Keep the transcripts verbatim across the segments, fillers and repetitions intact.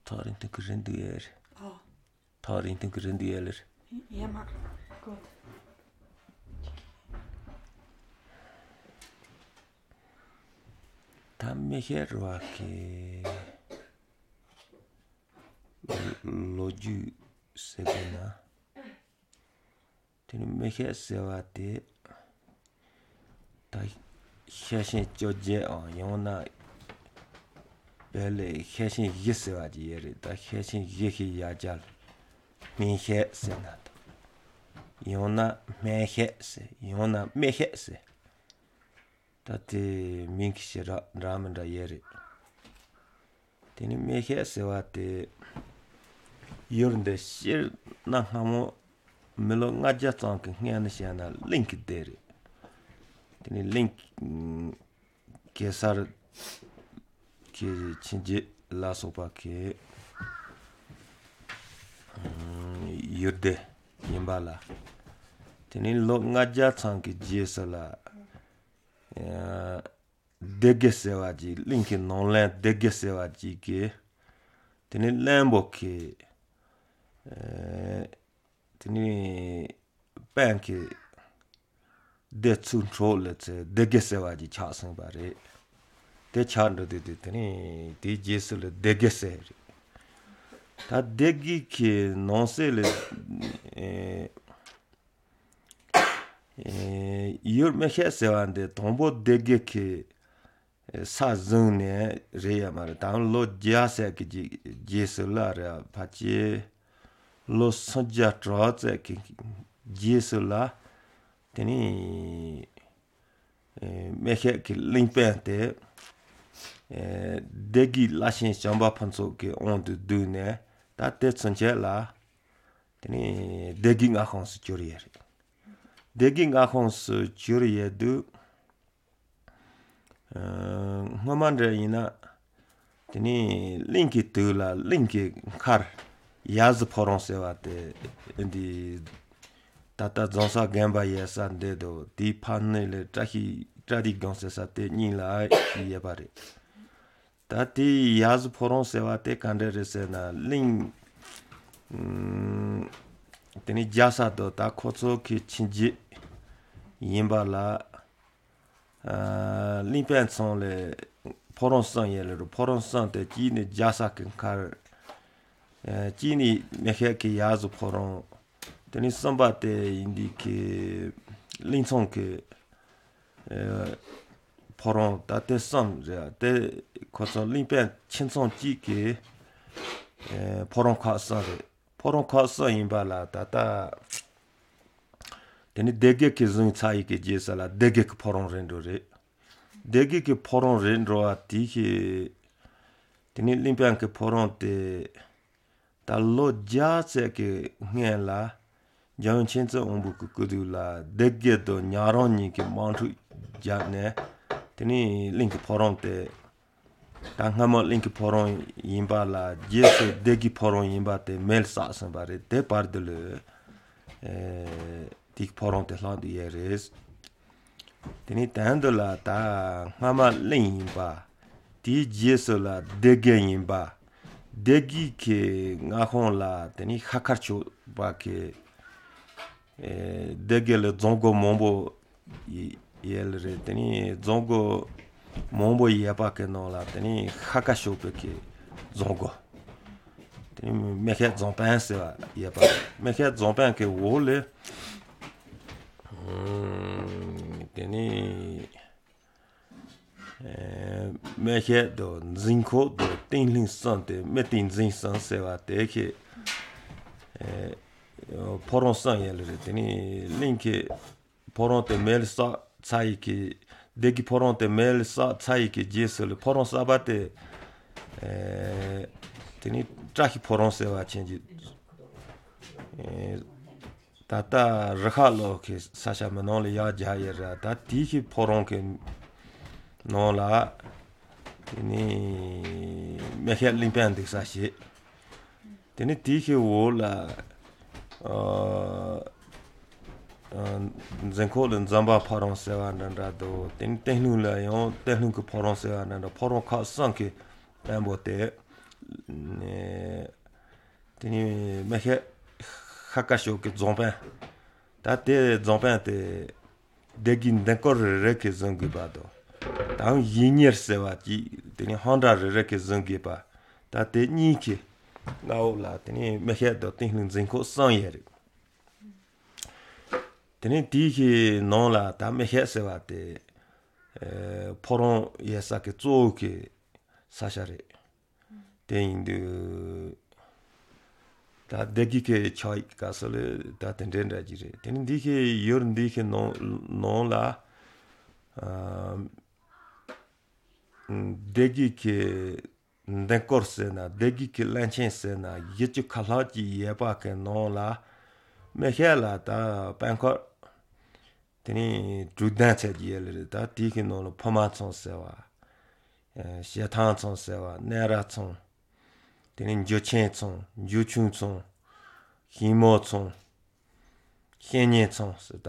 Tar inte rendier. Ja. Tar inte rendieler. Ja, maar god. Tammeherwake loju segona. Tene mehe sewa te ta xeshin choje on yona bele xeshin ye sewa ji yere ta xeshin ye hi ya jal minhe sena ta yona mehe se yona mehe se ta te minki ra ramen ra yere tene mehe sewa te yornde shir na hamo melo ngaja tsang ki ngyan xia na link dere tene link kesar ki chinji la sopa ki yurde yinba la tene lo ngaja tsang ki jesa la dege sewa ji link nonlen dege sewa ji ki tene lembo ki tene pen ki de tsun cho le tse dege sewa ji cha sung ba re de cha ndo de de tene de jesu le dege se re ta degi ki non se le yor me he sewa de tombo dege ki sa zung ne re ya ma re ta lo jia se ki jesu la re pa che lo sanja tra tse ki jesu la tene me he ki lingpen te degi lashin chamba panso ki on du du ne ta te tsunche la tene degi nga khong su chori ye degi nga khong su chori ye du ngoman re ina tene linki tu la linki khar yaz phoron sewa te ndi tata zonsa gemba ye sa de do di phan le trahi tradi gong se sa te ni la ye ba re ta ti yaz phoron sewa te kande re se na ling tene jasa do ta khotso ki chinji yinba la limpen tsong le phoron sang ye le phoron sang te ji ne jasa ki khar ji ni me he ki yaz phoron tene samba te indi ki ling tsong ki phoron ta te sam re te khotso limpen chin tsong ji ki phoron kha sa re phoron kha sa yinba la ta ta tene dege ki zung chai ki jesa la dege ki phoron ren do re dege ki phoron ren ro a ti ki tene limpen ki phoron te ta lo ja tse ki nge la jang chen tse ombu ku kudu la dege do nyaron ni ki mang chu ja ne tene ling ki phoron te ta nga mo ling ki phoron yinba la jesu degi phoron yinba te mel sa san ba re te par de le tik phoron te hlang du ye res tene tan do la ta nga ma ling yinba ti jesu la dege yinba degi ki nga khong la tene khakar chu ba ki dege le zongo mombo ye le re tene zongo mombo ye pa ke no la tene khaka shu pe ki zongo tene me he zongpan se wa ye pa me he zongpan ke wo le tene me he do zinko do tinlin san te me tin zin san se wa te ke phoron san ye le re tene ling ki phoron te mel sa chai ki degi phoron te mel sa chai ki jesu le phoron sa ba te tene trahi phoron se wa chen ji tata rakha lo ki sa sha me no le ya ja ye ra ta ti ki phoron ke no la tene me he limpen de sa shi tene ti ki wo la zenko len zamba phoron se wa nan ra do ten ten lu la yon ten lu ko phoron se wa nan ra phoron kha sang ki pen bo te དེ་ནས་མེ་ཤེ་ཤ་ཀ་ཤོ་ཀི་རྫོང་དཔོན་ད་དེ་རྫོང་དཔོན་དེ་སྡེ་དགེའི་འདན་སྐོར་རེ་རེ་གིས་བཟུང་དགོས་པ་དང་དང་ཡིད་གཉེར་ཟེར་བ་གཅིག་དེ་ནས་ཧང་སྒྲ་རེ་རེ་གིས་བཟུང་དགོས་པ་ད་དེ་གཉིས་ཀྱི་མངའ་འོག་ལ་དེ་ནས་མེ་ཤེ་དང་ཏིང་ལིང་འཛིན་ཁོག་གསང་ཡས་རེད། དེ་ནས་དེའི་གི་ནང་ལ་ད་མེ་ཤེ་ཟེར་བ་དེ་ཕོ་རོང་ཡས་ས་གི་གཙོ་བོ་གི་ས་ཆ་རེད། དེ་ཡིན་དུས་ད་སྡེ་དགེ་གི་ཆགས་ཡིག་ག་སོ་ལེ་ད་དེ་འདྲའི་འདྲ་གྱི་རེད། དེ་ནས་འདི་གི་ཡུལ་འདི་གི་ནང་ནང་ལ་སྡེ་དགེ་གི་འདན་སྐོར་ཟེར་ན་སྡེ་དགེ་གི་བླན་ཆེན་ཟེར་ན་བཞི་བཅུ་ཁ་ལྷག་གི་ཡས་པ་གི་ནང་ལ་མེ་ཤེ་ལ་ད་དཔལ་འཁོར་དེ་ནས་དྲུག་ལྡན་ཚད་ཀྱི་ཡས་ལེ་རེད་ད་དེའི་གི་ནང་ལ་ཕོ་མ་ཚང་ཟེར་བ་ཞེ་ཐང་ཚང་ཟེར་བ་གནས་ར་ཚང་དེ་ནས་འཇུ་ཆེན་ཚང་འཇུ་ཆུང་ཚང་ཤིང་མོ་ཚང་ཤེས་གཉེན་ཚང་ཟེར་ད་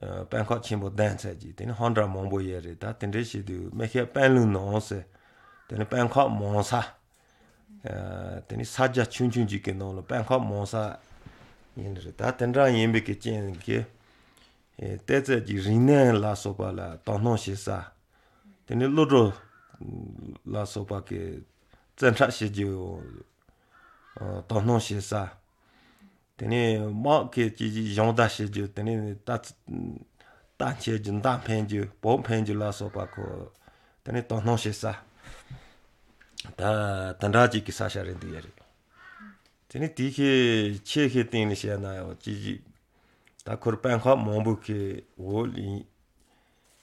དཔལ་འཁོར་ཆེན་པོ་ལྡན་ཚད་ཀྱི་དེ་ནས་ཧོན་འདྲ་མང་པོ་ཡས་རེད་ད་དེ་འདྲའི་བྱེད་དུས་མེ་ཤེ་དཔལ་ལུང་ནང་ཟེར་དེ་ནས་དཔལ་འཁོར་མང་ས་དེ་ནས་ས་རྒྱ་ཆུང་ཆུང་ཅིག་གི་ནང་ལ་དཔལ་འཁོར་མང་ས་ཡིན་རེད་ད་དེ་འདྲ་ཡིན་པའི་གི་རྐྱེན་གྱིས་གཏེར་རྫས་ཀྱི་རིག་གནས་ལ་སོགས་པ་ལ་དོ་སྣང་བྱེད་ས་དེ་ནས་བློ་གྲོས་ལ་སོགས་པ་གི་བཙན་ཁྲག་བྱེད་རྒྱུ་དོ་སྣང་བྱེད་ས་དེ་ནས་དམག་གི་ཀྱི་གཞུང་བརྡ་བྱེད་རྒྱུ་དེ་ནས་རྟ་རྟ་འཁྱེར་རྒྱུ་མདའ་འཕེན་རྒྱུ་བོག་འཕེན་རྒྱུ་ལ་སོགས་པ་གོ་དེ་ནས་དོ་སྣང་བྱེད་ས་ད་དེ་འདྲ་ཅིག་གི་ས་ཆ་རེད་འདུག་ཡ་རེད། དེ་ནས་དེའི་ཁའི་ཆེ་ཁའི་སྟེང་ནས་བཤད་ན་ཡང་ཅི་ཞིག་ད་ཁོར་དཔལ་ཁང་མང་པོ་གི་འོག་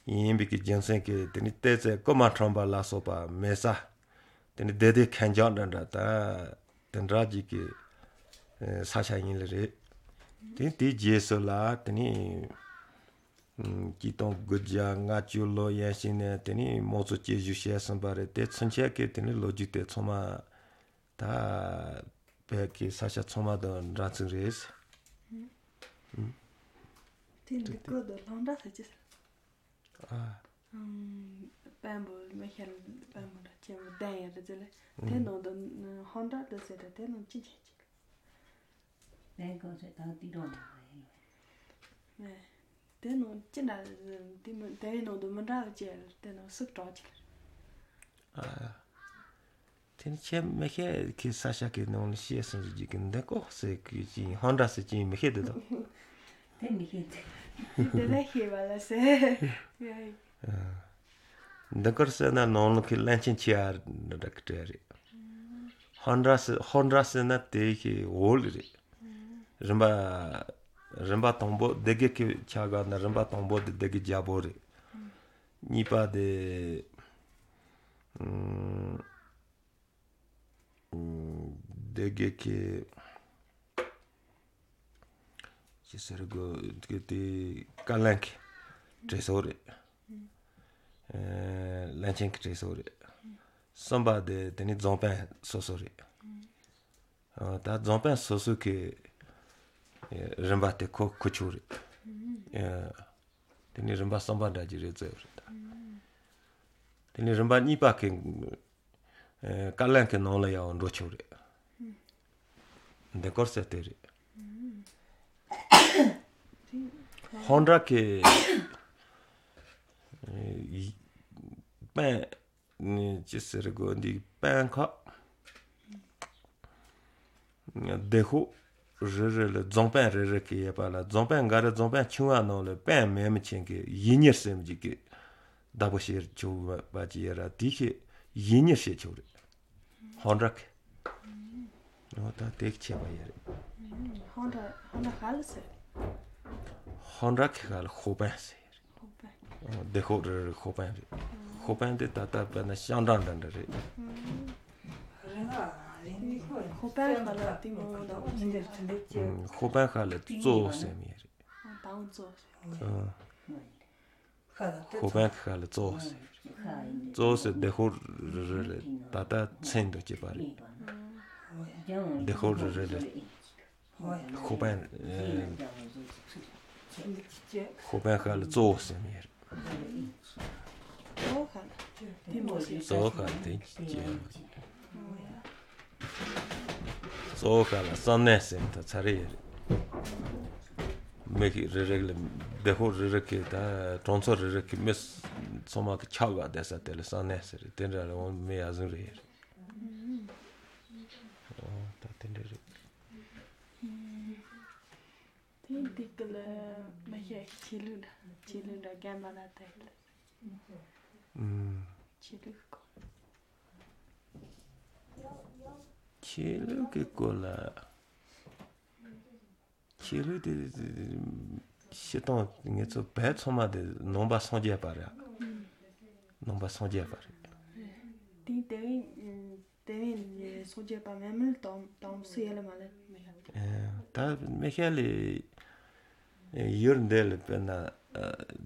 ཡིན་པའི་གི་རྒྱུ་མཚན་གྱིས་དེ་ནས་བལྟས་ཚེ་རྐུ་མ་ཁྲོམ་པ་ལ་སོགས་པ་མེད་ས་དེ་ནས་བདེ་བདེ་ཁེངས་འཇགས་འདྲ་འདྲ་ད་དེ་འདྲ་ཅིག་གི་ས་ཆ་ཡིན་ལ་རེད། དེ་དེའི་རྗེས་སུ་ལ་དེ་ནས་ཀྱིས་སྟོང་དགུ་བརྒྱ་ལྔ་བཅུ་ལོ་ཡན་ཞིག་ནས་དེ་ནས་རྨོག་ཚོ་སྐྱེ་བཞུགས་བྱས་ཟིན་པ་རེད་དེ་ཚུན་ཆད་ཀྱི་དེ་ནས་ལོ་རྒྱུས་དེ་ཚང་མ་ད་བོད་ཀྱི་ས་ཆ་ཚང་མ་དང་འདྲ་མཚུངས་རེད། དེ་འདི་སྐོར་དུ་ལྷང་འདྲ་ཟེར་གྱི་ཟེར། དཔོན་པོ་མི་ཤར་དཔོན་པོ་འདྲ་ཆེན་པོ་ལྡན་ཡོད་རེད་ཟེར་ལེ། དེ་ནང་དུ་ཧང་འདྲ་དུ་ཟེར་དེ་ནང་ཅི་བྱེད་ཅིག། དེ་གོ་ཟེར་ད་དེ་རོ་ན། དེ་ནང་ཅི་འདྲ་དེ་མི་དེ་ནང་དུ་མི་འདྲ་བ་ཅི་དེ་ནང་སུག་གྲོག་ཅིག། དེ་ནི་ཁྱེད་མི་ཤེས་ཀྱི་ས་ཞག་གི་ནང་ལ་ཤེས་སོང་ཟེར་གྱི་འདི་ཀོ་ཟེར་གྱི་ཅི་ཧང་འདྲ་ཟེར་གྱི་མི་ཤེས་དེ་དང། དེ་མི་ཤེས་དེ། དེ་ལས་ཤེས་པ་ལ་ཟེར། འདི་སྐོར་ཟེར་ན་ནང་ལོག་གི་བླན་ཆེན་ཆེ་ཡ་འདྲ་གི་གྲས་རེད། ཧང་འདྲ་ཟེར་ཧོར་འདྲ་ཟེར་ན་དེ་གི་འོལ་རེད། རིམ་པ་རིམ་པ་དང་པོ་སྡེ་དགེ་གི་ཆ་ག་ན་རིམ་པ་དང་པོ་དེ་སྡེ་དགེ་རྒྱལ་པོ་རེད། གཉིས་པ་དེ་སྡེ་དགེ་གི་ཅི་ཟེར་དགོས་དེ་བཀའ་བློན་གྱི་གྲས་སོགས་རེད། བློན་ཆེན་གྱི་གྲས་སོགས་རེད། གསུམ་པ་དེ་དེ་ནི་རྫོང་དཔོན་སོ་སོ་རེད། ད་རྫོང་དཔོན་སོ་སོ་གི་རིམ་པ་དེ་ཁོ་ཁོ་ཆོག་རེད། དེ་ནི་རིམ་པ་གསུམ་པ་འདྲ་གྱི་རེད་ཟེར་བ་རེད། དེ་ནི་རིམ་པ་གཉིས་པ་གི་བཀའ་བློན་གྱི་ནང་ལ་ཡང་འགྲོ་ཆོག་རེད། འདི་སྐོར་གསལ་དེ་རེད། ཧོང་ཀྲག་གི་པན་ཅི་ཟེར་དགོས་འདི་པན་ཁ་སྡེ་ཤོག་རེ་རེ་ལ་རྫོང་པན་རེ་རེ་གི་ཡོད་པ་ལ་རྫོང་པན་འགའ་རེ་རྫོང་པན་ཆུང་བ་ནང་ལ་པན་མེད་མི་ཆེན་གི་ཡིད་གཉེར་སེམས་ཀྱི་གི་བདག་པོ་བྱེད་ཆོག་པ་ཅི་ཡོད་ར་དེ་ཤེས་ཡིད་གཉེར་བྱེད་ཆོག་རེད། ཧོང་ཀྲག་གི་འོ་ད་དེ་ཆེ་བ་ཡོད་རེད། ཧོང་ཀྲག་ཧོང་ཀྲག་ག་ལ་ཟེར། ཧོང་ཀྲག་གི་ག་ལ་ཤོག་པན་ཟེར་རེད། སྡེ་ཤོག་རེ་རེ་ཤོག་པན་རེད། ཤོག་པན་དེ་ད་ལྟ་བས་ན་ཤང་ཀྲང་འདྲ་འདྲ་རེད། ཤོག་པན་ག་ལ་དེ་མོ་དང། ཤོག་པན་ག་ལ་གཙོ་བོ་ཟེར་མི་རེད། དང་གཙོ་ཤོག་པན་ག་ལ་གཙོ་བོ་ཟེར་རེད། གཙོ་བོ་ཟེར་སྡེ་ཤོག་རེ་རེ་ལ་ད་ལྟ་མཚན་དུ་སྐྱེས་པ་རེད། སྡེ་ཤོག་རེ་རེ་ལ་ཤོག་པན་ཤོག་པན་ག་ལ་གཙོ་བོ་ཟེར་མི་རེད། གཙོ་བོ་ག་ལ་དེ་ཅི་ཡང་མ་རེད། Tso ka la san ne sen ta tsare ye me ki re re le de ho re re ke ta tronso re re ki mes tsoma ki cha ga de sa te le san ne se re ten ra le on me ya zun re ye o ta ten re Ten tik le me ye chilu da chilu da gamba la te le mm chilu ko chilu ke ko la chilu de xetong nge tso pe tsoma de nomba sonje pa ra nomba sonje pa re ti te te sonje pa memel tom tom se le ma le ta me khele yor ndel pe na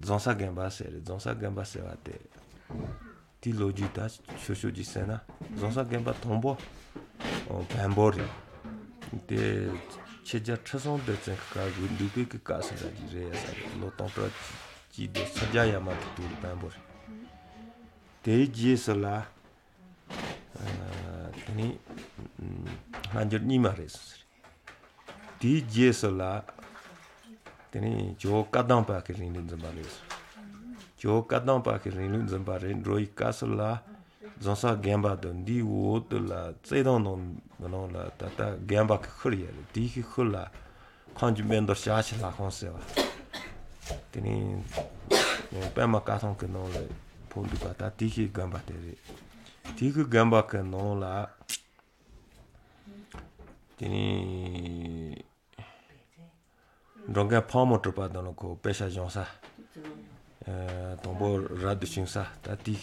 zonsa gemba se re zonsa gemba se wa te ti loji ta shosho ji se na zonsa gemba tombo bambo re te cheja chasong de chen ka gu ndu ke ka ka sa ji re sa lo tong pro ji de sa ja ya ma tu bambo re te ji se la ni manjur ni ma re ti ji se la te ni jo ka dang pa ke rin rin ba re jo ka dang pa ke rin rin ba re roi ka se la zonsa gemba de ndi wo de la zedong no no la ta ta gemba ke khur ye di ki khur la khan ju men do sha chi la khon se wa te ni pa ma ka thong ke no le phon du ka ta di ki gemba te re di ki gemba ke no la te ni rong ga pha mo pa do no ko pe sha jong sa tombo radu shingsa ta ti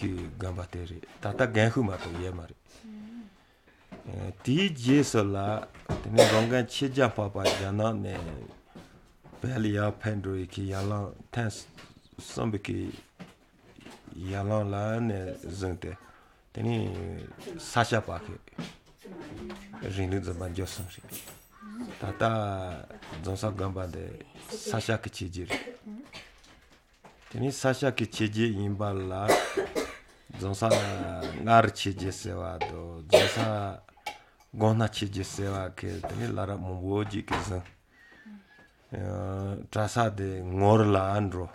gamba te re ta ta genhu ma to ye ma re ti je so la tene rongan cheja pa pa jana ne bel ya pendro ki yalan ten sombe ki yalan la ne zungte tene sasha pa ke rindu zamba josam ri ta ta zonsa gamba de sasha ki cheji re teni sasha ki cheje inba la zonsa ngar cheje sewa do zonsa gona cheje sewa ke teni lara mumbo ji ke zang trasa de ngor la andro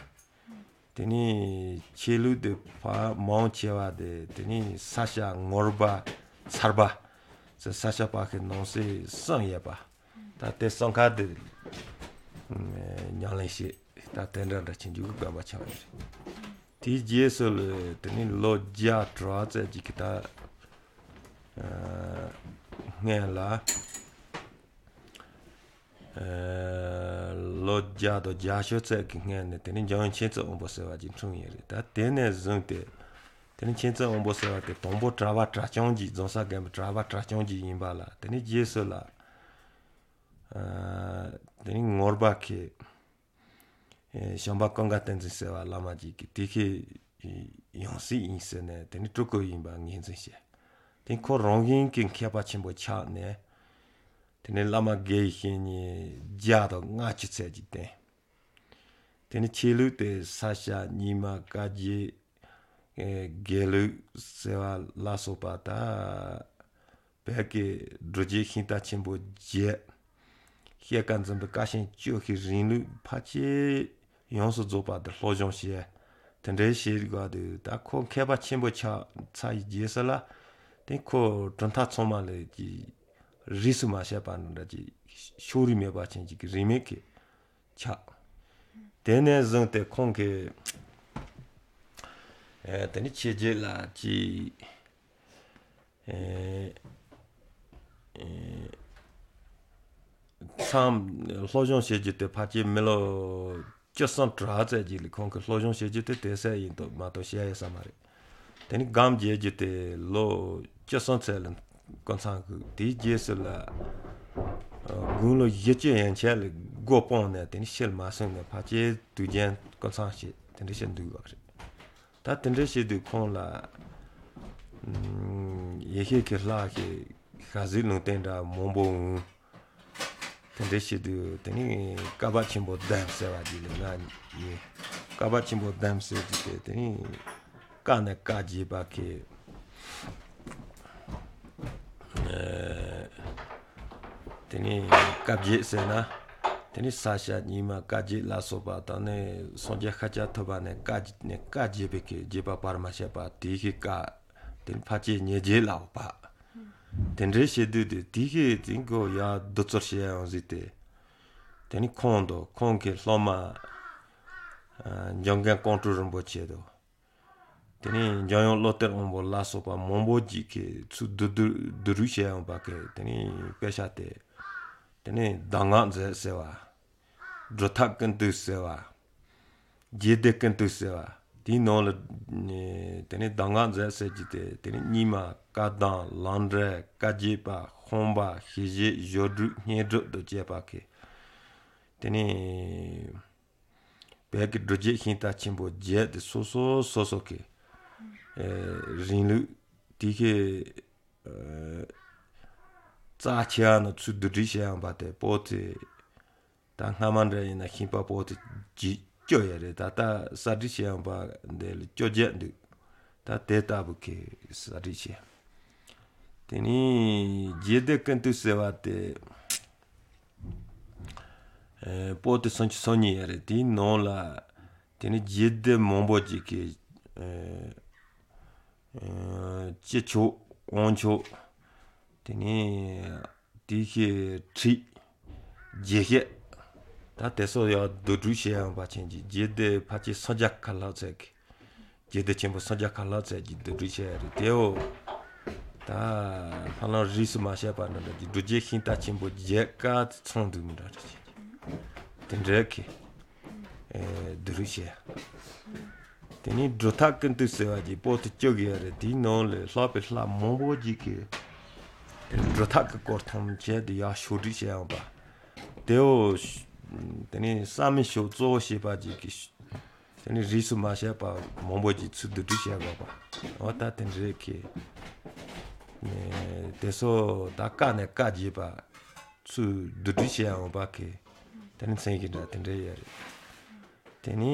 teni chelu de pa maung chewa de teni sasha ngorba sarba se sasha pa ke nonse sang ye pa ta te sangka de nyang le shi ta tenra da chinju ga ba cha ti je so le teni lo ja tra ze ji ki ta nge la lo ja do ja sho ze ki nge ne teni jang chen ze on bo se wa jin chung ye re ta te ne zung te teni chen ze on bo se wa te tong bo tra ba tra chong ji zong sa ge tra ba tra chong ji yin ba la teni je so la teni ngor ba ke shamba konga tenzi sewa lama ji ki tiki yongsi yin se ne teni truku yin ba ngin zi she teni ko rongin ki kyapa chenpo cha ne teni lama ge hi ni jia do nga chi tse ji ten teni chilu te sasha nima ka ji gelu sewa la sopa ta peki druji hinta chenpo je xie kan zimbe kashin chiyo ki rinlu pa chi yongsu zopa de lojong xie tenre xie gwa de ta ko keba chenpo cha tsa yi je se la ten ko zhunta tsoma le ji risu ma xie pa nanda ji shori me pa chen ji ki rime ki cha tene zung te kong ke teni che je la ji sam lojong xie ji te pa chi me lo jiu san zha zai ji li kong ke lojong xie ji te te se yin to ma to xie ye sa ma re teni gam jie ji te lo jiu san cai le gong cang gu di jie se la gung lo ye jie yan qie le guo pong ne teni xie le ma sheng ne pa chi du jian gong cang xie teni xie du ge re ta teni xie du kong la ye xie ke la ke kha zi nong ten da mong bo tende shi du teni kaba chenpo dam sewa ji le nga ni kaba chenpo dam se ji te teni ka ne ka ji ba ke དེ་ནས་བཀའ་བརྒྱད་ཟེར་ན་དེ་ནས་ས་སྐྱ་རྙིང་མ་བཀའ་བརྒྱད་ལ་སོགས་པ་དང་ནི་སངས་རྒྱས་ཤཱཀྱ་ཐུབ་པ་ནས་བཀའ་ནས་བཀའ་བརྒྱད་པའི་གི་བརྒྱུད་པ་བར་མ་ཆད་པ་དེ་གི་བཀའ་དེ་ནས་ཕལ་ཆེར་ཉེར་བརྒྱད་ལ་བབས། དེ་འདྲའི་བྱེད་དུས་དེ་དེ་གི་དེ་གོ་ཡ་བདུད་རྩོར་བྱེད་ཡང་ཟིག་སྟེ། དེ་ནས་ཁོང་དང་ཁོང་གི་སློབ་མ་འཇམ་མགོན་ཀོང་སྤྲུལ་རིན་པོ་ཆེ་དང། དེ་ནས་འཇམ་དབྱངས་བློ་གཏེར་དབོན་པོ་ལ་སོགས་པ་མང་པོ་ཅིག་གིས་ཚུར་བསྡུ་བསྡུ་རུབ་བྱས་ཡོང་པ་གི་དེ་ནས་དཔེ་ཆ་དེ། དེ་ནས་གདམས་ངག་མཛོད་ཟེར་བ། སྒྲུབ་ཐབས་ཀུན་བཏུས་ཟེར་བ། རྒྱུད་སྡེ་ཀུན་བཏུས་ཟེར་བ། དེའི་ནང་ལ། དེ་ནས་གདམས་ངག་མཛོད་ཟེར་གྱི་དེ་དེ་ནས་རྙིང་མ་བཀའ་གདམས་ལམ་འབྲས་བཀའ་བརྒྱུད་པ་ཤངས་པ་ཞི་བྱེད་སྦྱོར་དྲུག་བསྙེན་སྒྲུབ་དང་བཅས་པ་གི། དེ་ནས། བོད་ཀྱི་སྒྲུབ་བརྒྱུད་ཤིང་རྟ་ཆེན་པོ་བརྒྱད་དེ་སོ་སོ་སོ་སོ་གི་རིང་ལུགས་དེ་གའི་རྩ་ཆེ་བ་ནི་ཚུར་བསྡུ་སྒྲིག་བྱས་ཡོང་པ་དེ་པོ་ཏི་ད་སྔ་མ་འདྲ་ཡིན་ན་ཤིང་པར་པོ་ཏི་བརྒྱད་བཅུ་ཡོད་རེད་ད་ལྟ་གསར་སྒྲིག་བྱས་ཡོང་པ་འདི་ལ་བཅོ་བརྒྱད་འདུག་ད་དེ་ལྟ་བུ་གི་གསར་སྒྲིག་བྱས། དེ་ནས་རྒྱུད་སྡེ་ཀུན་བཏུས་ཟེར་བ་དེ་པོ་ཏི་སུམ་ཅུ་སོ་གཉིས་ཡོད་རེད་དེའི་ནང་ལ་དེ་ནས་རྒྱུད་སྡེ་མང་པོ་ཅིག་གི་དཀྱིལ་ཆོག་དབང་ཆོག་དེ་ནས་དེ་གི་ཁྲིད་རྒྱས་བཤད་ད་དེ་སོགས་ཡང་བསྡུ་སྒྲུག་བྱས་ཡོང་པ་ཅན་གྱི་རྒྱུད་སྡེ་ཕལ་ཆེར་སུམ་བརྒྱ་ཁ་ལྷག་ཙམ་གི་རྒྱུད་སྡེ་ཆེན་པོ་སུམ་བརྒྱ་ཁ་ལྷག་ཙམ་གྱི་བསྡུ་སྒྲིག་བྱས་ཡོད་རེད་དེའོ། ད་ཧ་ལམ་རིས་སུ་མ་ཆད་པ་འདྲ་འདྲ་གྱི་སྒྲུབ་བརྒྱུད་ཤིང་རྟ་ཆེན་པོ་བརྒྱད་ཀ་ཚང་འདུག་མི་འདྲ་རེ་བྱེད་དེ་འདྲའི་གི་བསྡུ་རུབ་བྱས། དེ་ནས་སྒྲུབ་ཐབས་ཀུན་བཏུས་ཟེར་བ་གྱི་པོ་ཏི་བཅུ་དགུ་ཡོད་རེད་དེའི་ནང་ལས་ལྷག་པའི་ལྷ་མང་པོ་ཅིག་གི་དེ་སྒྲུབ་ཐབས་ཀྱི་སྐོར་ཐམས་ཅད་དུ་ཡར་ཕྱོགས་སྒྲིག་བྱས་ཡོང་པ་དེའོ། དེ་ནས་གསར་མའི་ཕྱོགས་གཙོ་བོ་བྱས་པ་ཅིག་གི་དེ་ནས་རིས་སུ་མ་ཆད་པ་མང་པོ་ཅིག་ཚུར་བསྡུ་སྒྲིག་བྱས་དགོས་པ་འོ་ད་དེ་འདྲའི་གི་དེ་ཚོ་ད་བཀའ་ནས་བཀའ་བརྒྱུད་པ་ཚུར་བསྡུ་སྒྲིག་བྱས་འོང་པ་གི་དེ་ནི་མཚན་གཞི་འདྲ་དེ་འདྲ་ཡོད་རེད། དེ་ནས་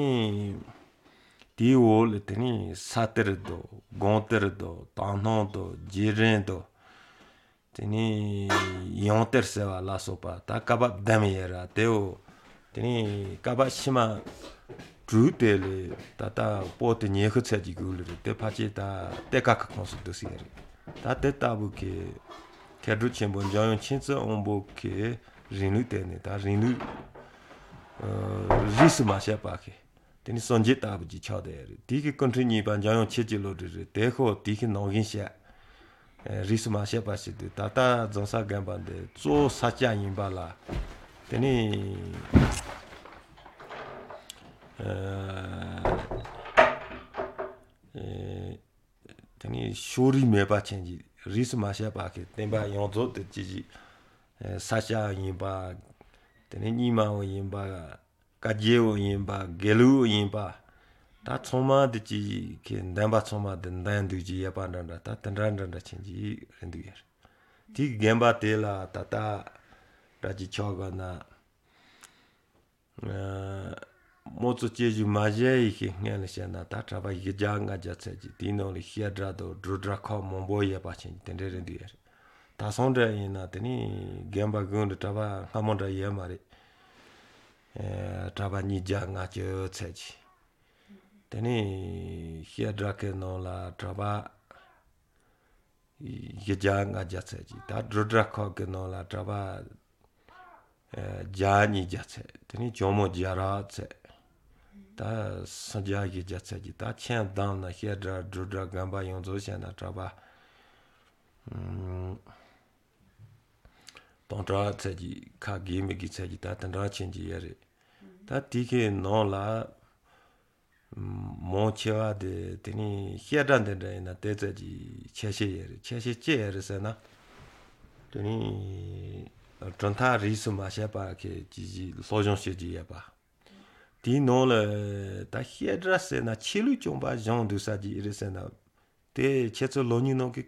དེའི་འོག་ལ་དེ་ནས་ས་གཏེར་དང་དགོངས་གཏེར་དང་དག་སྣང་དང་རྗེས་དྲན་དང། དེ་ནས་ཡང་གཏེར་ཟེར་བ་ལ་སོགས་པ་ད་བཀའ་བབས་བདུན་ཡོད་ར་དེའོ། དེ་ནས་བཀའ་བབས་ཕྱི་མ་དྲུག་དེ་ལས་ད་ལྟ་པོ་ཏི་ཉི་ཤུ་ཙམ་ཅིག་གུ་ལེ་རེད་དེ་ཕལ་ཆེར་ད་གཏེར་ཁ་གི་ཁོངས་སུ་བསྡུ་སྲིད་རེད། ད་དེ་ལྟ་བུ་གི་མཁས་གྲུབ་ཆེན་པོ་འཇམ་དབྱངས་མཁྱེན་བརྩེ་དབང་པོ་གི་རིང་ལུགས་དེ་ནི་ད་རིང་ལུགས་རིས་སུ་མ་ཆད་པ་གི་དེ་ནི་སངས་རྒྱས་ལྟ་བུ་ཅིག་ཆགས་བསྡད་རེད་དེ་གི་སྐུ་ཕྲེང་གཉིས་པ་འཇམ་དབྱངས་ཆོས་ཀྱི་བློ་གྲོས་རེད་དེ་ཁོ་དེ་གི་ནང་བཞིན་བཤད་རིས་སུ་མ་ཆད་པ་ཞིག་འདུག་ད་ལྟ་རྫོང་སར་དགོན་པ་འདི་གཙོ་བོ་ས་སྐྱ་ཡིན་པ་ལ་དེ་ནི་དེ་ནི་ཕྱོགས་རིས་མེད་པ་ཅན་གྱི་རིས་སུ་མ་ཆད་པ་གི་བསྟན་པ་ཡོངས་རྫོགས་དེ་ཅི་ཞིག་ས་སྐྱ་ཡིན་པ་དེ་ནི་རྙིང་མ་བ་ཡིན་པ་བཀའ་བརྒྱུད་པ་ཡིན་པ་དགེ་ལུགས་ཡིན་པ་ད་ཚང་མ་དེ་ཅི་གི་འདན་པ་ཚང་མ་དེ་འདན་འདུག་ཅིག་ཡོད་པ་འདྲ་འདྲ་ད་དེ་འདྲ་འདྲ་འདྲ་ཅན་གྱི་རེད་འདུག་ཡ་རེད་དེ་གི་དགོན་པ་དེ་ལ་ད་ལྟ་འདྲ་ཅིག་ཆགས་དགོས་ན་མོ་ཚོ་སྐྱེ་རྒྱུ་མ་གཞལ་ཡི་ཤེས་སྔན་ལ་བཤད་ན་ད་གྲྭ་པ་བཞི་བརྒྱ་ལྔ་བརྒྱ་ཙམ་ཅིག་དེའི་ནང་ལ་བཤད་གྲྭ་དང་སྒྲུབ་གྲྭ་ཁག་མང་པོ་ཡོད་པ་ཅན་གྱི་དེ་འདྲ་རེད་འདུག་ཡ་རེད་ད་སོང་འདྲ་ཡིན་ན་དེ་ནི་དགོན་པ་དགོན་དུ་གྲྭ་པ་སྔ་མོ་འདྲ་ཡོད་མ་རེད། གྲྭ་པ་ཉིས་བརྒྱ་ལྔ་བཅུ་ཙམ་ཅིག་དེ་ནས་བཤད་གྲྭ་གི་ནང་ལ་གྲྭ་པ་བཞི་བརྒྱ་ལྔ་བརྒྱ་ཙམ་ཅིག་ད་སྒྲུབ་གྲྭ་ཁག་གི་ནང་ལ་གྲྭ་པ་བརྒྱ་ཉིས་བརྒྱ་ཙམ་དེ་ནས་ཇོ་མོ་བརྒྱ་ར་ཙམ་ད་སུམ་བརྒྱ་བཞི་བརྒྱ་ཙམ་ཅིག་ད་ཁྱོན་བསྡོམས་ན་བཤད་གྲྭ་སྒྲུབ་གྲྭ་དགོན་པ་ཡོངས་རྫོགས་བྱས་ན་གྲྭ་པ་སྟོང་ཕྲག་ཙམ་ཅིག་ཁ་དགེ་མི་དགེ་ཙམ་ཅིག་ད་དེ་འདྲ་ཅན་ཅིག་ཡོད་རེད་ད་དེ་གའི་ནང་ལ་མང་ཆེ་བ་དེ་དེ་ནས་བཤད་གྲྭ་འདི་འདྲ་ཡིན་ན་དེ་ཙམ་གྱིས་ཁྱད་ཆེ་ཡོད་རེད་ཁྱད་ཆེ་ཅི་ཡོད་རེད་ཟེར་ན། དེ་ནས་གྲུབ་མཐའ་རིས་སུ་མ་ཆད་པ་གི་ཅིག་ཅིག་སློབ་སྦྱོང་བྱེད་ཀྱི་ཡོད་པ། དེའི་ནང་ལ་ད་བཤད་གྲྭ་ཟེར་ན་ཆོས་ལུགས་རྐྱང་པ་སྦྱོང་སྡོད་ས་ཅིག་རེད་ཟེར་ན། དེ་ཁྱེད་ཚོ་ལོ་རྒྱུས་ནང་གི་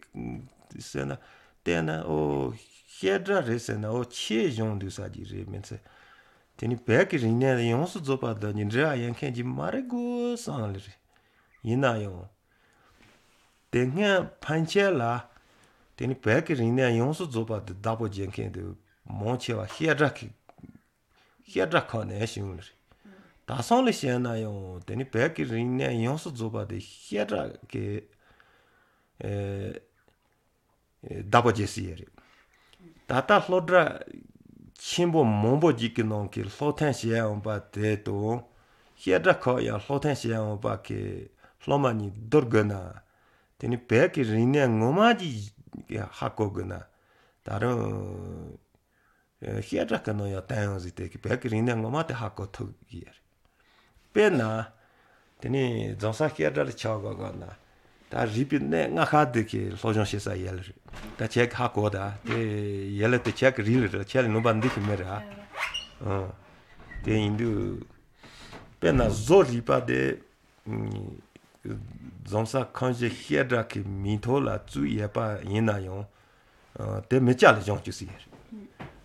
ཟེར་ན་བལྟས་ན་ཨོ་བཤད་གྲྭ་རེད་ཟེར་ན་ཨོ་ཆོས་སྦྱོང་སྡོད་ས་ཅིག་རེད་མིན་ཚེ། དེ་ནི་བོད་ཀྱི་རིག་གནས་ཡོངས་སུ་རྫོགས་པ་དང་ནི་འབྲེལ་བ་ཡོད་མཁན་གྱི་མ་རེད་དགོས་བསམ་ལེ་རེད། ཡིན་ན་ཡང། དེ་སྔའི་ཕན་ཆད་ལ། དེ་ནི་བོད་ཀྱི་རིག་གནས་ཡོངས་སུ་རྫོགས་པ་དེ་བདག་པོ་བྱེད་མཁན་དེ་མང་ཆེ་བ་བཤད་གྲྭ་གི་བཤད་གྲྭ་ཁག་ནས་བྱུང་རེད། ད་སང་ལ་བཤད་ན་ཡང་དེ་ནི་བོད་ཀྱི་རིག་གནས་ཡོངས་སུ་རྫོགས་པ་དེ་བཤད་གྲྭ་གི་བདག་པོ་བྱེད་སྲིད་ཡོད་རེད། ད་ལྟ་སློབ་གྲྭ་ཆེན་པོ་མང་པོ་ཞིག་གི་ནང་གི་སློབ་ཐོན་བྱས་འོང་པ་དེ་དང་བཤད་གྲྭ་ཁག་ཡང་སློབ་ཐོན་བྱས་འོང་པ་གི་སློབ་མ་གཉིས་བསྡུར་དགོས་ན་དེ་ནི་བོད་ཀྱི་རིག་གནས་ངོ་མ་ཅིག་ཧ་གོ་དགོས་ན་ད་རུང་བཤད་གྲྭ་གི་ནང་ཡང་བསྟན་ཡོང་ཟིག་དེ་གི་བོད་ཀྱི་རིག་གནས་ངོ་མ་དེ་ཧ་གོ་ཐུབ་ཀྱི་ཡོད་རེད། དཔེར་ན་དེ་ནི་རྫོང་སར་བཤད་གྲྭ་ལ་ཆ་བཞག་དགོས་ན་ད་རིག་པའི་གནས་ལྔ་ཁ་དེ་གི་སློབ་སྦྱོང་བྱེད་ས་ཡོད་ལ་རེད། ད་ཁྱེད་ཀྱི་ཧ་གོ་ད་དེ་ཡོད་ལ་དེ་ཁྱེད་ཀྱི་རིག་ལ་རེད་ཁྱེད་ལ་ནུས་པ་འདི་ཞིག་མེད་ར། དེ་ཡིན་དུས་དཔེར་ན་བཟོ་རིག་པ་དེ་རྫོང་སར་ཁང་གཞི་བཤད་གྲྭ་གི་མིང་ཐོག་ལ་བཙུགས་ཡོད་པ་ཡིན་ན་ཡང་དེ་མི་སྐྱ་ལ་སྦྱོང་བཅུག་སྲིད་ཡོད་རེད།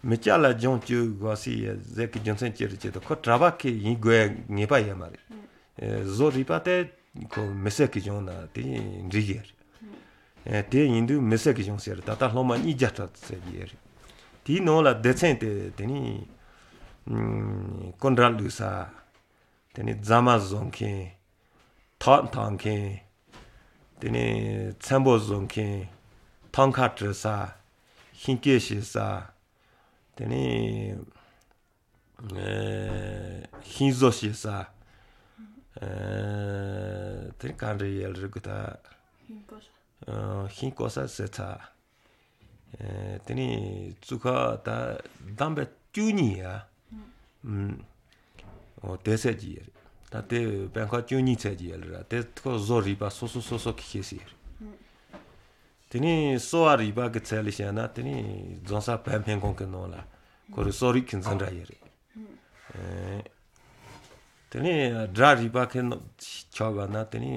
མི་སྐྱ་ལ་སྦྱོང་བཅུག་དགོས་སྲིད་ཡོད་ཟེར་གི་རྒྱུ་མཚན་ཅི་རེད་ཅེ་ན་ཁོ་གྲྭ་པ་ཁེ་ཡིན་དགོས་ངེས་པ་ཡོད་མ་རེད། བཟོ་རིག་པ་དེ་ཁོ་མི་སེར་གྱི་སྦྱོང་ན་དེ་འགྲིག་གི་རེད། དེ་ཡིན་དུས་མི་སེར་གྱི་སྦྱོང་ཟེར་ད་ལྟ་སློབ་མ་གཉིས་བརྒྱ་ཕྲག་ཟེར་གྱི་ཡོད་རེད། དེའི་ནང་ལ་སྡེ་ཚན་དེ་དེ་ནི་སྐུ་འདྲ་བླུགས་ས། དེ་ནི་རྫ་མ་བཟོ་མཁན། ཐག་འཐག་མཁན། དེ་ནི་ཚེམ་བུ་བཟོ་མཁན། ཐང་ཁ་བྲི་ས། ཤིང་བརྐོས་བྱེད་ས། དེ་ནི་ཤིང་བཟོ་བྱེད་ས། དེ་ག་འདྲ་ཡོད་རེད་གི་ད། ཤིང་བརྐོ་ས་ཟེར་ཚ། དེ་ནི་གཙུག་ཁག་ད་བདམས་པའི་བཅུ་གཉིས་ཡ། དེ་ཚད་ཀྱི་ཡོད་རེད། ད་དེ་དཔེ་ཁག་བཅུ་གཉིས་ཚད་ཀྱི་ཡོད་རེད། དེ་ཁོ་བཟོ་རིག་པ་སོ་སོ་སོ་སོ་གི་ཤེས་སྲིད་ཡོད་རེད། དེ་ནི་གསོ་བ་རིག་པ་གི་ཚད་ལ་བཤད་ན་དེ་ནི་རྫོང་སར་བོད་སྨན་ཁང་གི་ནང་ལ་ཁོ་རུ་གསོ་རིག་གི་འཛིན་གྲྭ་ཡོད་རེད། དེ་ནི་སྒྲ་རིག་པ་གི་ཕྱོགས་ག་ན་དེ་ནི་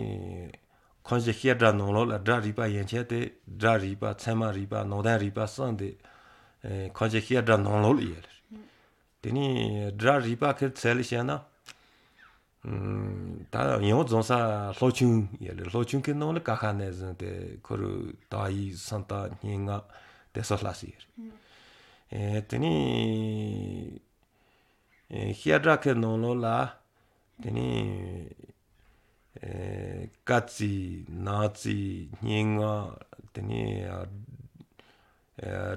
ཁང་གཞི་བཤད་གྲྭ་ནང་ལོགས་ལ་སྒྲ་རིག་པ་ཡན་ཆད་དེ་སྒྲ་རིག་པ་ཚད་མ་རིག་པ་ནང་བསྟན་རིག་པ་གསུམ་དེ་ཁང་གཞི་བཤད་གྲྭ་ནང་ལོགས་ལ་ཡོད་རེད། དེ་ནི་སྒྲ་རིག་པ་གི་ཚད་ལ་བཤད་ན་ད་ཡང་རྫོང་སར་སློབ་ཆུང་ཡོད་རེད། སློབ་ཆུང་གི་ནང་ལ་ཀ་ཁ་ནས་བཟུང་སྟེ་ཁོ་རུ་དག་ཡིག་སུམ་རྟགས་སྙན་ངག་དེ་སོགས་བསླབ་སྲིད་ཡོད་རེད། དེ་ནི་བཤད་གྲྭ་གི་ནང་ལོགས་ལ་དེ་ནི་སྐར་རྩིས་ནག་རྩིས་སྙན་ངག་དེ་ནི་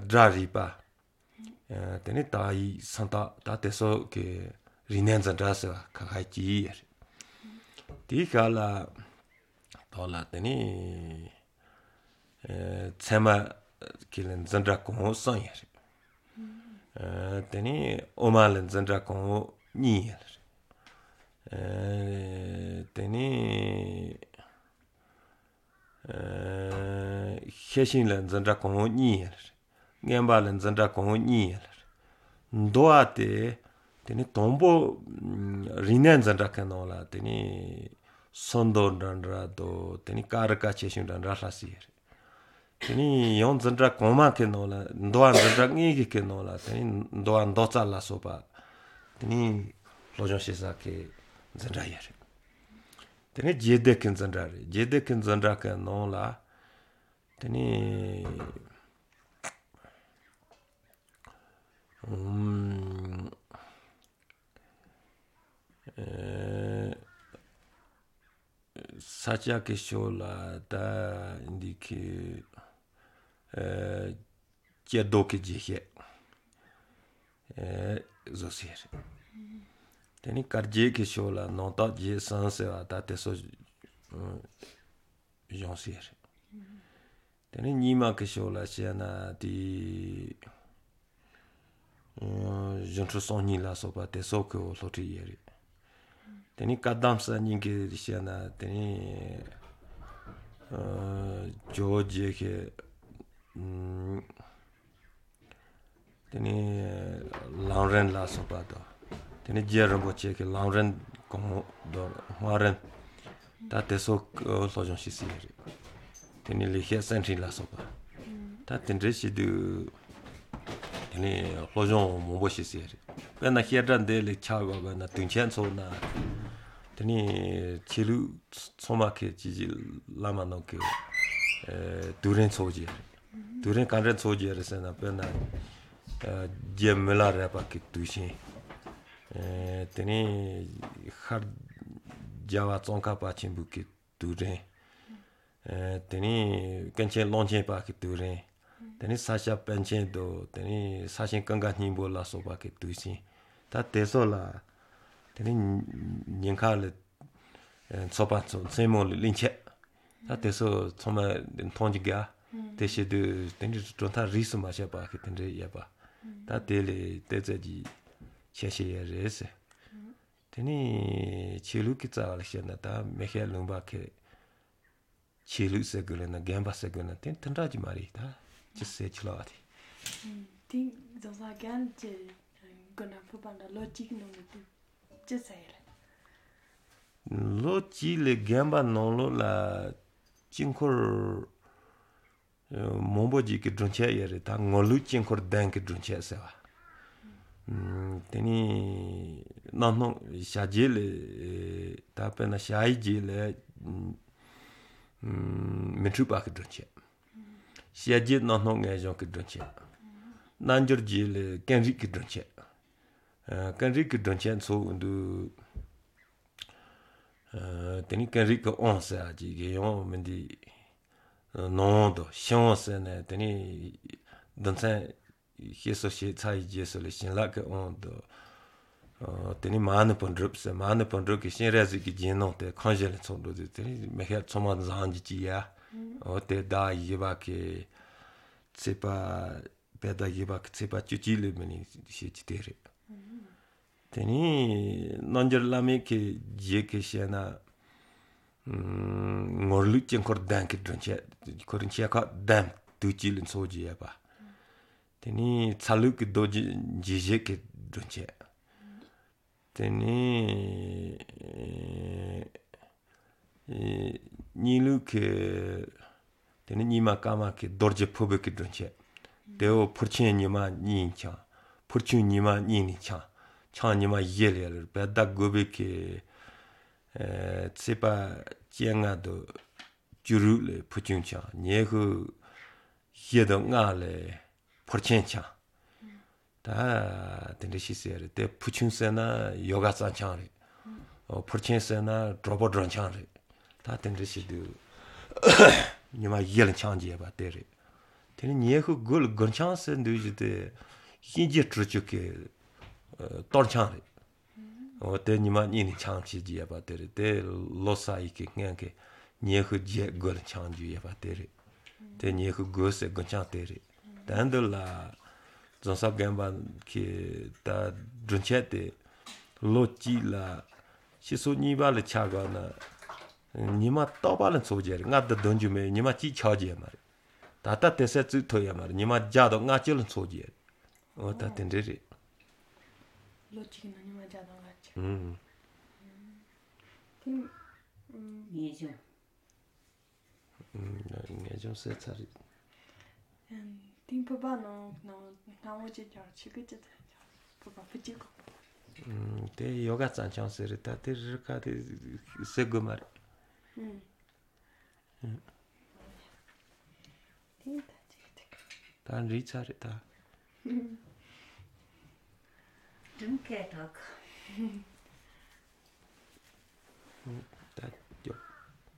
སྒྲ་རིག་པ་དེ་ནི་དག་ཡིག་སུམ་རྟགས་ད་དེ་སོགས་ཀྱི་རིག་གནས་འཛིན་གྲྭ་ཟེར་བ་ཁ་ཁ་ཅིག་ཡོད་རེད། དེའི་ཁ་ལ་ཐོག་ལ་དེ་ནི་ཚད་མ་གི་འཛིན་གྲྭ་གོང་འོག་གསུམ་ཡོད་རེད། དེ་ནི་དབུ་མ་ལ་འཛིན་གྲྭ་གོང་འོག་གཉིས་ཡོད་རེད། དེ་ནི་ཤེར་ཕྱིན་ལ་འཛིན་གྲྭ་གོང་འོག་གཉིས་ཡོད་རེད། མངོན་པ་ལ་འཛིན་གྲྭ་གོང་འོག་གཉིས་ཡོད་རེད། མདོ་བ་དེ་དེ་ནི་དང་པོ་རིག་གནས་འཛིན་གྲྭ་གི་ནང་ལ་དེ་ནི་སུམ་མདོ་འདྲ་འདྲ་དང་དེ་ནི་ཀ་རི་ཀ་ཆེ་ཆུང་འདྲ་འདྲ་བསླབ་སྲིད་ཡོད་རེད། དེ་ནི་ཡང་འཛིན་གྲྭ་གོང་མ་གི་ནང་ལ་མདོ་བ་འཛིན་གྲྭ་ལྔའི་གི་ནང་ལ་དེ་ནི་མདོ་བ་མདོ་རྩ་ལ་སོགས་པ་དེ་ནི་སློབ་སྦྱོང་བྱེད་ས་གི་འཛིན་གྲྭ་ཡོད་རེད། དེ་ནི་རྗེས་འདེད་ཀྱི་འཛིན་གྲྭ་རེད། རྗེས་འདེད་ཀྱི་འཛིན་གྲྭ་གི་ནང་ལ་དེ་ནི་ས་སྐྱ་གི་ཕྱོགས་ལ་ད་འདི་གི་ཀྱེ་རྡོར་གྱི་རྒྱས་བཤད་བཟོ་སྲིད་རེད། དེ་ནི་བཀའ་བརྒྱུད་ཀྱི་ཕྱོགས་ལ་ནང་བརྟག་བརྒྱད་གསུམ་ཟེར་བ་ད་དེ་སོགས་སྦྱོང་སྲིད་རེད། དེ་ནི་རྙིང་མ་གི་ཕྱོགས་ལ་བཤད་ན་དེ་སྒྱུ་འཕྲུལ་གསང་སྙིང་ལ་སོགས་པ་དེ་སོགས་ཀྱི་སློབ་ཁྲིད་ཡོད་རེད། དེ་ནི་བཀའ་གདམས་གསར་རྙིང་གི་བཤད་ན་དེ་ནི་ཇོ་བོ་རྗེ་གི་དེ་ནི་ལམ་རིམ་ལ་སོགས་པ་དང། དེ་ནི་རྗེ་རིན་པོ་ཆེ་གི་ལམ་རིམ་གོང་དུ་སྔགས་རིམ་ད་དེ་སོགས་སློབ་སྦྱོང་བྱེད་སྲིད་ཡོད་རེད། དེ་ནི་ལེགས་བཤད་གསེར་ཕྲེང་ལ་སོགས་པ་ད་དེ་འདྲའི་བྱེད་དུས་དེ་ནི་སློབ་སྦྱོང་མང་པོ་བྱེད་སྲིད་ཡོད་རེད། དཔེར་ན་བཤད་གྲྭ་འདི་ལས་ཆ་བཞག་པ་ན་དུས་ཆེན་ཚོགས་ན་དེ་ནི་ཆོས་ལུགས་ཚང་མ་གི་སྤྱི་གཅིག་བླ་མ་ནང་གི་དུས་རིང་ཚོགས་ཀྱི་རེད། དུས་རིང་ག་འདྲའི་ཚོགས་ཀྱི་རེད་ཟེར་ན་དཔེར་ན Je mila rapa ki tushin teni khar jawa tsongka pa chenpu ki turen teni kenchen longchen pa ki turen teni sasha penchen do teni sashin kanga nyingbo la sopa ki tushin ta teso la teni nyingka le tsopa tso tsenmo le lingche ta teso tsoma tongji gya teshe du teni zhonta risu ma she pa ki tenri ya pa ta tele teze ji che she ye re se teni che lu ki tsa la she na ta me he lungba ke che lu se ge na gemba se ge na ten tendra ji ma ri ta chi se chi la ti ting zo sa gan che gona pu pa da lo ji no ni ti che se ye lo ji le gemba no lo la jing khor mombo ji ki drunche ye re ta ngolu jing khor dang ki drunche se wa teni nanno sha ji le ta pe na sha yi ji le mi chu pa ki drunche xia ji nanno nge jong ki drunche nanjur ji le kenri ki drunche kenri ki drunche tso undu teni kenri ki on se a ji ge yong mindi nong do xiong se ne teni dantsan xie so xie cai jie so le xin la ke on do teni ma ne pon drup se ma ne pon drup ki xin re zi ki jin nong te kang jie le cong do teni me he cong ma zang ji ji ya o te da yi ba ke ce pa pe da yi ba ke ce pa ju ji le me ni xie ji te re teni nanjur la me ke jie ke xie na ngorlu jing khor dang ki drun che khorin che ka dam tu ji lin so ji ya ba teni tsalu ki do ji ji je ki drun che teni ni lu ke teni ni ma ka ma ke dorje phobe ki drun che deo phurchen ni ma ni cha phurchu ni ma ni ni cha cha ni ma ye le le ba da go be ke tsepa jianga do juru le phurchen cha nye hu ye do nga le phurchen cha ta tende shi se re te phurchen se na yoga san cha re o phurchen se na drobo dron cha re ta tende shi du ni ma ye le cha ji ba te re tene nye hu gol gon cha se ndu ji te yin ji zhu ju ke dor cha re o te ni ma ni ni chang chi ji ya ba te re te lo sa yi ke nge ke nye hu je gol chang ju ya ba te re te nye hu go se gon chang te re dan do la zong sa gen ba ke ta drun che te lo ji la xi su ni ba le cha ga na ni ma dao ba le zo je re nga de don ju me ni ma ji chao ji ma re ta ta te se zu to ya ma re ni ma jia do nga ji le zo ji o ta ten re re lo ji na ni ma jia do nga ji 음 ting 예 좀 음 nge 좀 se cha ri ting pu ba no no na wo ji jiao chi ge ji pu ba pu ji go 음 te yoga chan chan se re ta te ri ka te se go ma re 음 ting ta ji te ta ri cha re ta 좀 깨 다 음